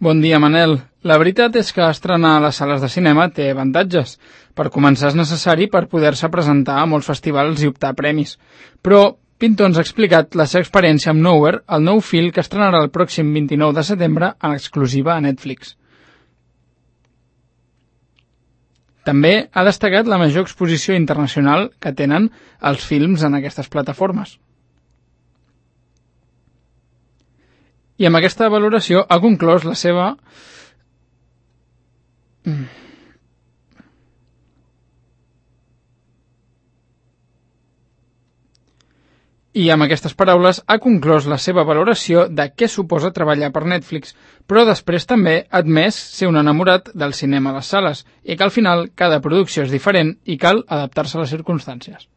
Bon dia, Manel. La veritat és que estrenar a les sales de cinema té avantatges. Per començar, és necessari per poder-se presentar a molts festivals i optar a premis. Però Pinto ens ha explicat la seva experiència amb Nowhere, el nou film que estrenarà el pròxim 29 de setembre en exclusiva a Netflix. També ha destacat la major exposició internacional que tenen els films en aquestes plataformes. I amb aquesta valoració ha conclòs la seva... I amb aquestes paraules ha conclòs la seva valoració de què suposa treballar per Netflix, però després també ha admès ser un enamorat del cinema a les sales i que al final cada producció és diferent i cal adaptar-se a les circumstàncies.